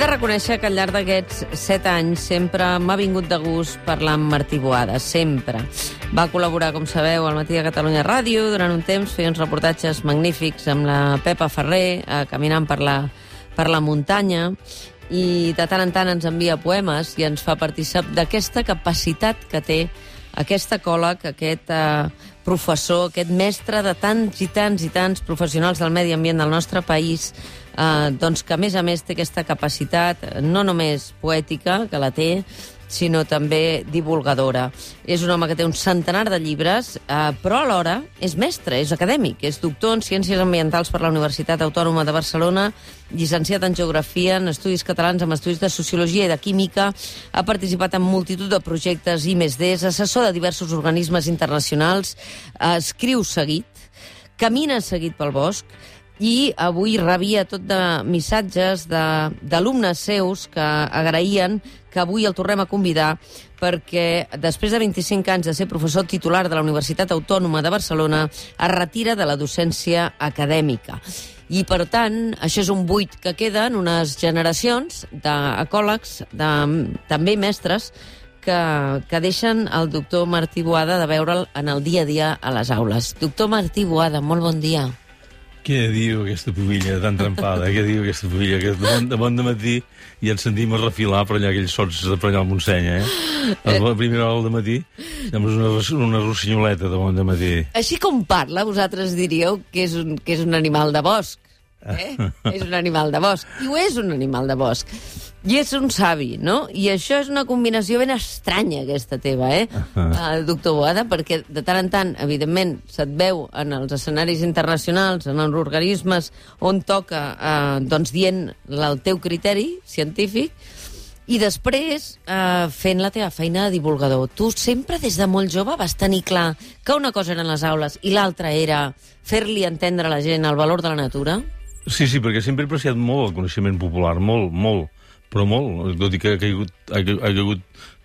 de reconèixer que al llarg d'aquests 7 anys sempre m'ha vingut de gust parlar amb Martí Boada, sempre. Va col·laborar, com sabeu, al Matí de Catalunya Ràdio. Durant un temps feia uns reportatges magnífics amb la Pepa Ferrer, caminant per la muntanya, i de tant en tant ens envia poemes i ens fa partícip d'aquesta capacitat que té aquest ecòleg, aquest professor, aquest mestre de tants i tants i tants professionals del medi ambient del nostre país, doncs que a més té aquesta capacitat no només poètica, que la té, sinó també divulgadora. És un home que té un centenar de llibres, però alhora és mestre, és acadèmic, és doctor en Ciències Ambientals per la Universitat Autònoma de Barcelona, llicenciat en Geografia, en Estudis Catalans, amb estudis de Sociologia i de Química, ha participat en multitud de projectes I+D, és assessor de diversos organismes internacionals, escriu seguit, camina seguit pel bosc, i avui rebia tot de missatges d'alumnes seus que agraïen que avui el tornem a convidar perquè després de 25 anys de ser professor titular de la Universitat Autònoma de Barcelona es retira de la docència acadèmica. I, per tant, això és un buit que queda en unes generacions d'ecòlegs, també mestres, que deixen el doctor Martí Boada de veure'l en el dia a dia a les aules. Doctor Martí Boada, molt bon dia. Què diu aquesta pubilla tan trempada? Què diu aquesta pubilla? Que de bon dematí ja ens sentim a refilar per allà aquells sots de per allà al Montseny, A la primera hora del matí sembla una rossinyoleta de bon dematí. Així com parla, vosaltres diríeu que és un animal de bosc. És un animal de bosc. I ho és un animal de bosc. I és un savi, no? I això és una combinació ben estranya, aquesta teva, doctor Boada, perquè de tant en tant, evidentment, se't veu en els escenaris internacionals, en els organismes on toca, doncs dient el teu criteri científic, i després fent la teva feina de divulgador. Tu sempre, des de molt jove, vas tenir clar que una cosa eren les aules i l'altra era fer-li entendre a la gent el valor de la natura? Sí, perquè sempre he apreciat molt el coneixement popular, molt, però molt, tot i que ha caigut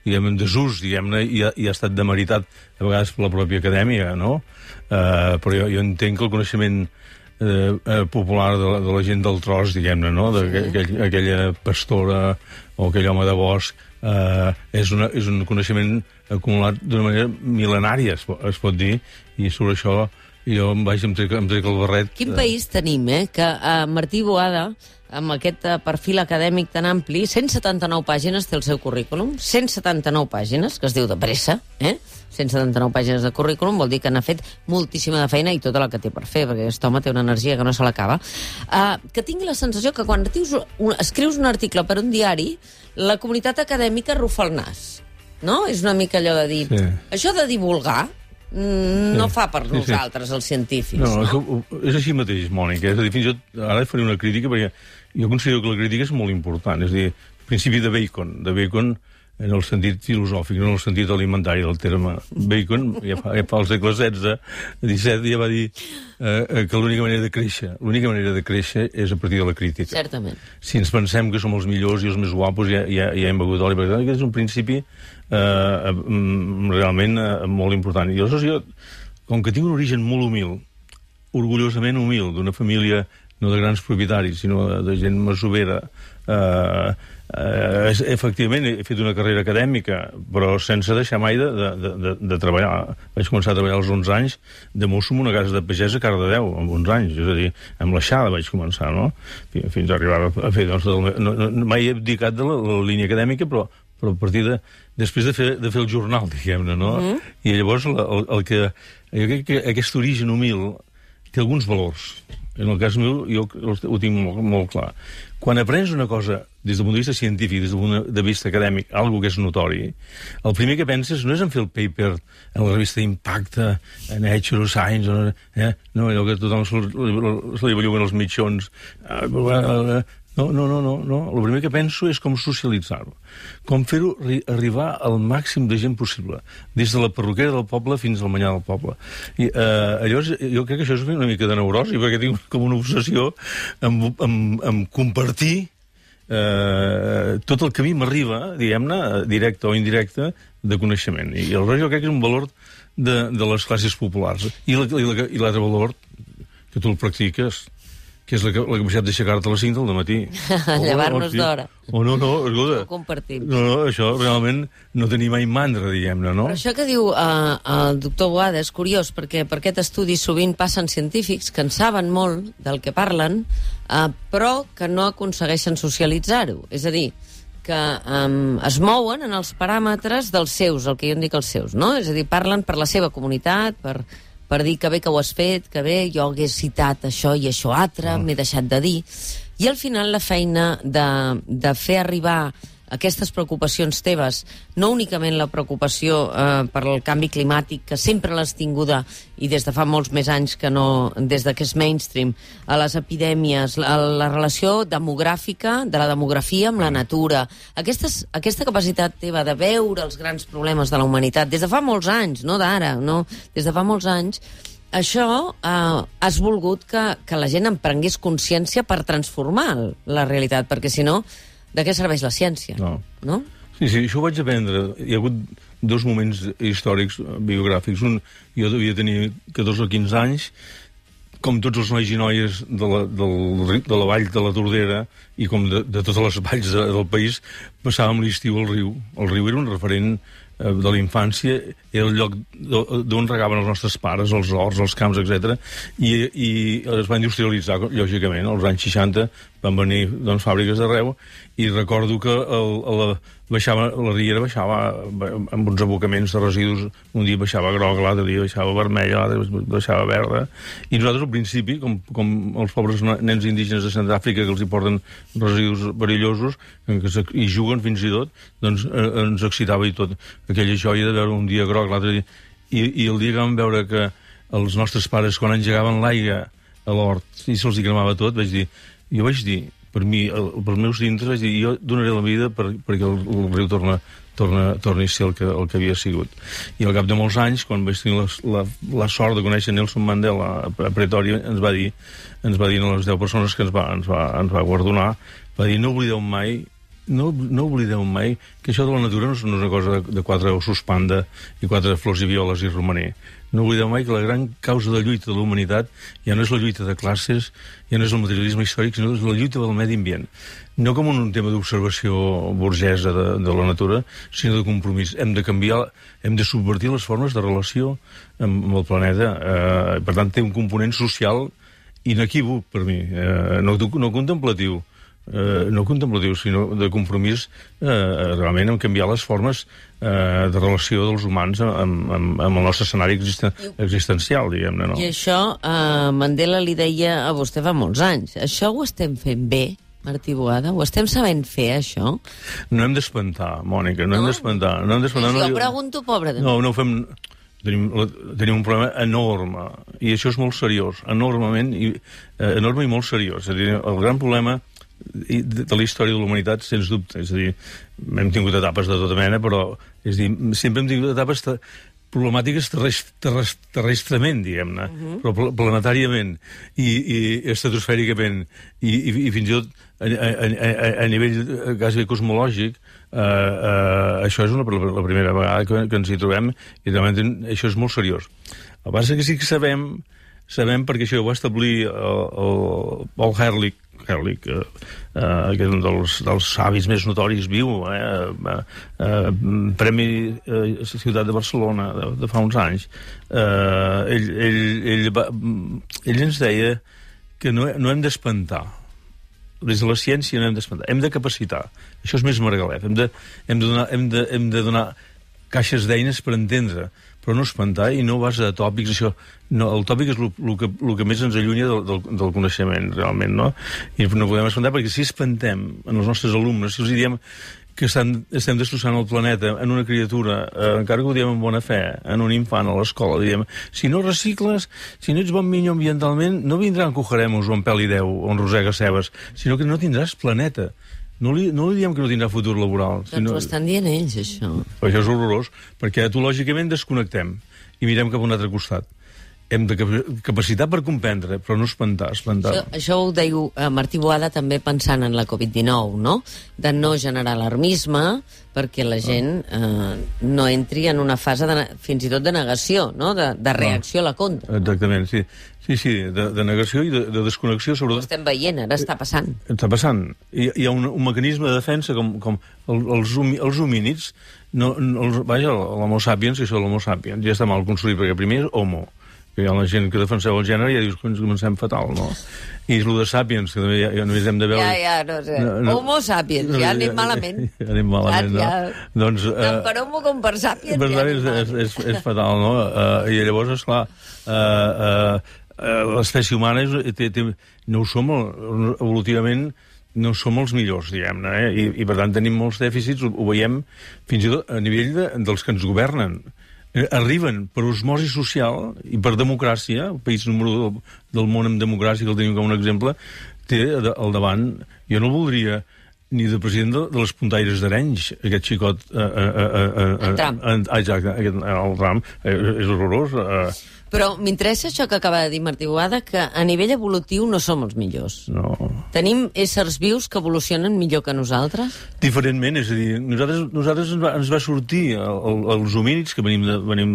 diguem, en desús, diguem-ne, i ha estat demeritat a vegades per la pròpia acadèmia, no? Però jo entenc que el coneixement popular de la gent del tros, diguem-ne, no? Aquella pastora o aquell home de bosc, és un coneixement acumulat d'una manera mil·lenària, es pot dir, i sobre això jo em trec el barret. Quin país tenim, que Martí Boada, amb aquest perfil acadèmic tan ampli, 179 pàgines té el seu currículum, 179 pàgines, que es diu de pressa, 179 pàgines de currículum, vol dir que n'ha fet moltíssima de feina i tota la que té per fer, perquè aquest home té una energia que no se l'acaba. Que tingui la sensació que quan escrius un article per un diari, la comunitat acadèmica rufa el nas, no? És una mica allò de dir, això de divulgar no fa per nosaltres, els científics. No, és així mateix, Mònica. És a dir, fins i tot ara faré una crítica, perquè jo considero que la crítica és molt important. És a dir, el principi de Bacon en el sentit filosòfic, no en el sentit alimentari del terme. Bacon, ja fa al segle XVI, XVII, ja va dir que l'única manera de créixer és a partir de la crítica. Certament. Si ens pensem que som els millors i els més guapos, ja hem begut oli, perquè aquest és un principi realment molt important. I aleshores jo, com que tinc un origen molt humil, orgullosament humil, d'una família no de grans propietaris, sinó de gent masovera, efectivament he fet una carrera acadèmica, però sense deixar mai de treballar. Vaig començar a treballar als 11 anys de mosso en una casa de pagès a Cardedeu, amb 11 anys, és a dir, amb l'aixada vaig començar, no? Fins a arribar a fer, doncs, mai he abdicat de la línia acadèmica, però a partir després de fer el jornal, diguem-ne, no? I llavors jo crec que aquest origen humil té alguns valors. En el cas meu, jo ho tinc molt clar. Quan aprens una cosa des del punt de vista científic, des del punt de vista acadèmic, algo que és notori, el primer que penses no és en fer el paper en la revista Impacte, en Nature Science, no, allò que tothom se li belluguen els mitjons. No. El primer que penso és com socialitzar-ho. Com fer-ho arribar al màxim de gent possible, des de la perruquera del poble fins al menjar del poble. I llavors, jo crec que això és una mica de neurosi, perquè tinc com una obsessió en compartir tot el que a mi m'arriba, diguem-ne, directe o indirecte, de coneixement. I aleshores jo crec que és un valor de les classes populars. I l'altre valor, que tu el practiques, que és la capacitat d'aixecar-te a les 5 del matí. Llevar-nos d'hora. No, escolta. Ho compartim. No, això realment no tenim mai mandra, diguem-ne, no? Però això que diu el doctor Boada és curiós, perquè per aquest estudi sovint passen científics que en saben molt del que parlen, però que no aconsegueixen socialitzar-ho. És a dir, que es mouen en els paràmetres dels seus, el que jo en dic els seus, no? És a dir, parlen per la seva comunitat, per dir que bé que ho has fet, que bé, jo hagués citat això i això altre, m'he deixat de dir. I al final la feina de fer arribar aquestes preocupacions teves, no únicament la preocupació per el canvi climàtic, que sempre l'has tinguda i des de fa molts més anys que no, des de que és mainstream, a les epidèmies, la relació demogràfica, de la demografia amb la natura, aquesta capacitat teva de veure els grans problemes de la humanitat, des de fa molts anys, no d'ara, no? Des de fa molts anys, això has volgut que la gent en prengués consciència per transformar la realitat, perquè si no, de què serveix la ciència? No? Sí, això ho vaig aprendre. Hi ha hagut 2 moments històrics biogràfics. Un, jo devia tenir 14 o 15 anys, com tots els nois i noies de la vall de la Tordera i com de totes les valls del país, passàvem l'estiu al riu. El riu era un referent de la infància, era el lloc d'on regaven els nostres pares, els horts, els camps, etc. I es va industrialitzar, lògicament. Als anys 60 van venir fàbriques d'arreu i recordo que la riera baixava amb uns abocaments de residus. Un dia baixava groc, l'altre dia baixava vermella, l'altre baixava verda. I nosaltres, al principi, com els pobres nens indígenes de Centràfrica que els hi porten residus perillosos i juguen fins i tot, doncs ens excitava i tot. Aquella joia de veure un dia groc, l'altre dia... I el dia que vam veure que els nostres pares, quan engegaven l'aigua a l'hort i se'ls cremava tot, jo vaig dir, per mi, pels meus dintres, vaig dir, jo donaré la vida perquè el riu torni a ser el que havia sigut. I al cap de molts anys, quan vaig tenir la sort de conèixer Nelson Mandela a Pretòria, ens va dir a les 10 persones que ens va guardonar, va dir, no oblideu mai que això de la natura no és una cosa de 4 ossos panda i 4 flors i violes i romaner. No oblideu mai que la gran causa de lluita de la humanitat ja no és la lluita de classes, ja no és el materialisme històric, sinó és la lluita del medi ambient. No com un tema d'observació burgesa de la natura, sinó de compromís. Hem de canviar, hem de subvertir les formes de relació amb el planeta. Per tant, té un component social inequívoc per mi, no contemplatiu. No contemplatiu, sinó de compromís realment en canviar les formes de relació dels humans amb el nostre escenari existencial, diguem-ne, no? I això Mandela li deia a vostè fa molts anys. Això ho estem fent bé, Martí Boada? Ho estem sabent fer, això? No hem d'espantar, Mònica, no hem d'espantar. Jo pregunto, pobre de mi. No ho fem... Tenim un problema enorme, i això és molt seriós, enorme i molt seriós. És a dir, el gran problema de la història de la humanitat, sens dubte. És a dir, hem tingut etapes de tota mena, però sempre hem tingut etapes problemàtiques terrestrament, diguem-ne, però planetàriament i estratosfèricament i fins i tot a nivell quasi cosmològic. Això és la primera vegada que ens hi trobem i realment això és molt seriós. El que passa és que sí que sabem perquè això ho va establir el Paul Ehrlich, que és un dels savis més notoris viu, Premi Ciutat de Barcelona de fa uns anys. Ell ens deia que no hem d'espantar. Des de la ciència no hem d'espantar, hem de capacitar. Això és més Margalef. Hem de donar caixes d'eines per entendre, però no espantar i no base de tòpics. Això, no, el tòpic és el que més ens allunya del coneixement, realment, no? I no podem espantar, perquè si espantem en els nostres alumnes, si els diem que estem destrossant el planeta en una criatura, encara que ho diem amb bona fe, en un infant a l'escola, diem, si no recicles, si no ets bon minyó ambientalment, no vindran cojaremos o en pèl i deu o en rosega cebes, sinó que no tindràs planeta. No li diem que no tindrà futur laboral. Doncs ho estan dient ells, això. Això és horrorós, perquè etològicament desconnectem i mirem cap a un altre costat. hem de capacitat per comprendre, però no espantar. Això ho diu Martí Boada també pensant en la Covid-19, no? De no generar alarmisme perquè la gent no entri en una fase fins i tot de negació, no? De reacció a la contra. Exactament, sí. Sí, de negació i de desconnexió, sobretot. Ho estem veient, ara està passant. Està passant. Hi ha un mecanisme de defensa com els homínids, vaja, l'homo sapiens, que això de l'homo sapiens ja està mal construït, perquè primer és homo, que hi ha la gent que defenseu el gènere i ja dius que ens comencem fatal, no? I és el de sapiens, que també ja només hem de veure... No sé. Homo sapiens, ja anem malament. Ja anem malament, no? Doncs, tant per homo com per sapiens ja anem malament. És fatal, no? I llavors, esclar, l'espècie humana no ho som evolutivament, no som els millors, diguem-ne, i per tant tenim molts dèficits, ho veiem fins i tot a nivell dels que ens governen. Arriben per osmosi social i per democràcia, el país número 1 del món amb democràcia, que el tenim com un exemple, té al davant, jo no el voldria ni de president de les puntaires d'Arenys, aquest xicot... El Trump. Exacte, el Trump, és horrorós. Però m'interessa això que acaba de dir Martí Boada, que a nivell evolutiu no som els millors. No. Tenim éssers vius que evolucionen millor que nosaltres? Diferentment, és a dir, nosaltres ens va sortir els homínids, que venim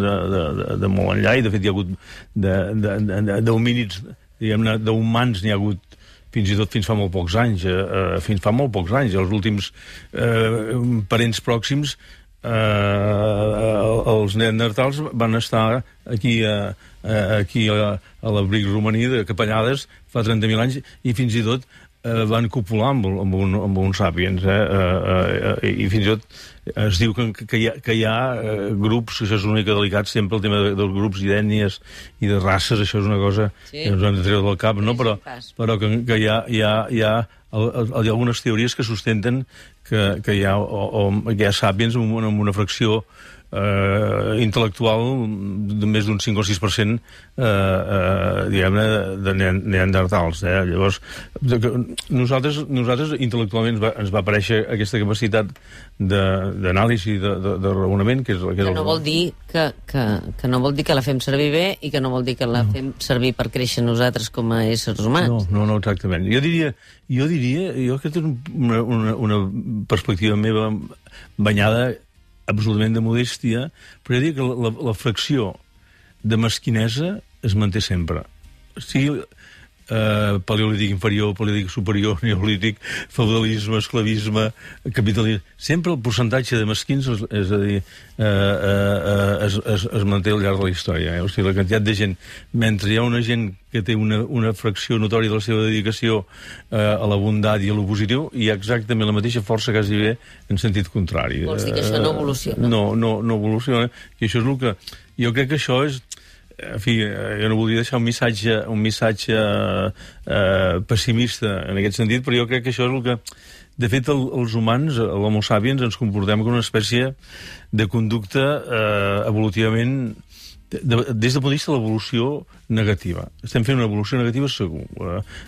de molt enllà, i de fet hi ha hagut d'homínids, diguem-ne, d'humans n'hi ha hagut fins i tot fins fa molt pocs anys. Els últims parents pròxims, els neandertals van estar aquí a l'abric romaní de Capellades fa 30.000 anys i fins i tot van copular amb un sàpiens, i fins i tot es diu que hi ha grups, això és una mica delicat sempre, el tema dels grups i d'ètnies i de races, això és una cosa que ens han de treure del cap, no? Però que hi ha algunes teories que sustenten que hi ha sàpiens amb una fracció intel·lectual de més d'un 5 o 6% diguem-ne de neandertals. Llavors nosaltres intel·lectualment ens va aparèixer aquesta capacitat d'anàlisi, de raonament, que no vol dir que no vol dir que la fem servir bé i que no vol dir que la fem servir per créixer nosaltres com a éssers humans. No, exactament. Jo diria, aquesta és una perspectiva meva banyada absolutament de modèstia, però jo diria que la fracció de mesquinesa es manté sempre. Sigui paleolític inferior, paleolític superior, neolític, feudalisme, esclavisme, capitalisme... Sempre el percentatge de mesquins, és a dir, es manté al llarg de la història. O sigui, la quantitat de gent... Mentre hi ha una gent que té una fracció notòria de la seva dedicació a la bondat i a lo positiu, hi ha exactament la mateixa força quasi bé en sentit contrari. Vols dir que això no evoluciona? No evoluciona. I això és el que... Jo crec que això és... En fi, jo no voldria deixar un missatge pessimista en aquest sentit, però jo crec que això és el que... De fet, els humans, l'homo sapiens, ens comportem com una espècie de conducta evolutivament... Des del punt de vista de l'evolució negativa. Estem fent una evolució negativa segur.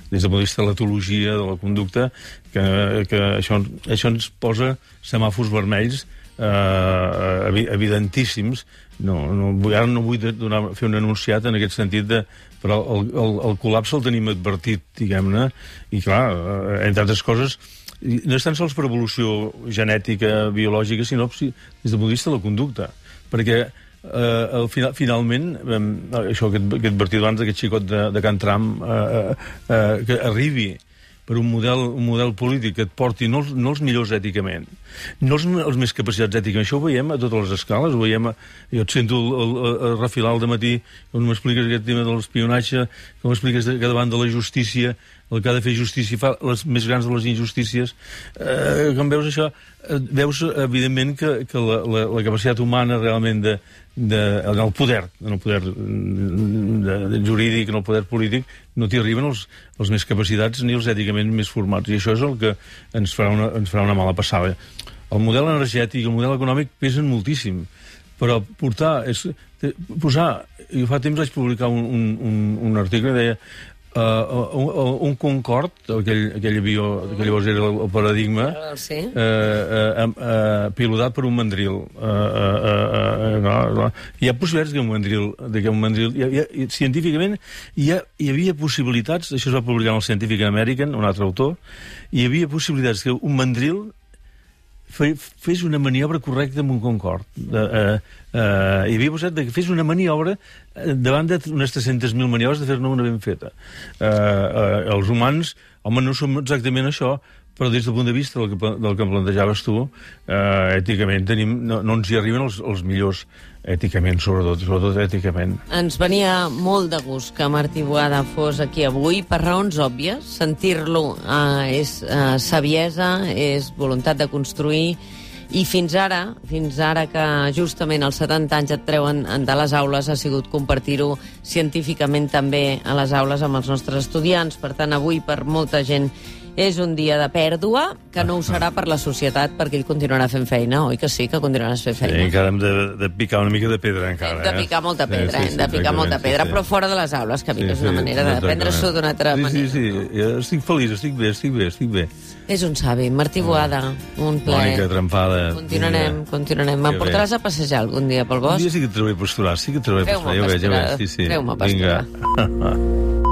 Des del punt de vista de l'etologia, de la conducta, que això ens posa semàfors vermells evidentíssims. Ara no vull fer un enunciat en aquest sentit, però el col·lapse el tenim advertit, diguem-ne, i clar, entre altres coses, no és tan sols per evolució genètica, biològica, sinó des del punt de vista de la conducta, perquè finalment, això que he advertit abans d'aquest xicot de Can Tram, que arribi per un model polític que et porti no els millors èticament, no els més capacitats èticament. Això ho veiem a totes les escales, jo et sento refilar al dematí on m'expliques aquest tema de l'espionatge, que m'expliques que davant de la justícia el que ha de fer justícia fa les més grans de les injustícies. Quan veus això, veus evidentment que la capacitat humana realment en el poder jurídic, en el poder polític, no t'hi arriben els més capacitats ni els èticament més formats, i això és el que ens farà una mala passada. El model energètic i el model econòmic pesen moltíssim, però jo fa temps vaig publicar un article que deia un Concorde, aquell avió que llavors era el Paradigma, Sí. pilotat per un mandril. Hi ha possibilitats que un mandril científicament hi havia possibilitats, això es va publicar en el Scientific American, un altre autor, hi havia possibilitats que un mandril fes una maniobra correcta amb un Concorde. Hi havia posat que fes una maniobra davant d'unes 300.000 maniobres de fer-ne una ben feta. Els humans, home, no som exactament això, però des del punt de vista del que plantejaves tu, èticament no ens hi arriben els millors èticament, sobretot èticament. Ens venia molt de gust que Martí Boada fos aquí avui, per raons òbvies. Sentir-lo és saviesa, és voluntat de construir, i fins ara que justament als 70 anys et treuen de les aules, ha sigut compartir-ho científicament també a les aules amb els nostres estudiants. Per tant, avui per molta gent és un dia de pèrdua, que no ho serà per la societat, perquè ell continuarà fent feina, oi que sí, que continuaràs fent feina? Sí, encara hem de picar una mica de pedra, encara. Hem de picar molta pedra, sí, però fora de les aules, que a mi és una manera de prendre-s'ho d'una altra manera. Sí, estic feliç, estic bé. És un savi. Martí Boada, un plaer. Mònica Trempada. Continuarem. Me'n portaràs a passejar algun dia pel bosc? Un dia sí que et trobaré pasturar, ja ho veig. Treu-me a pasturar. Vinga.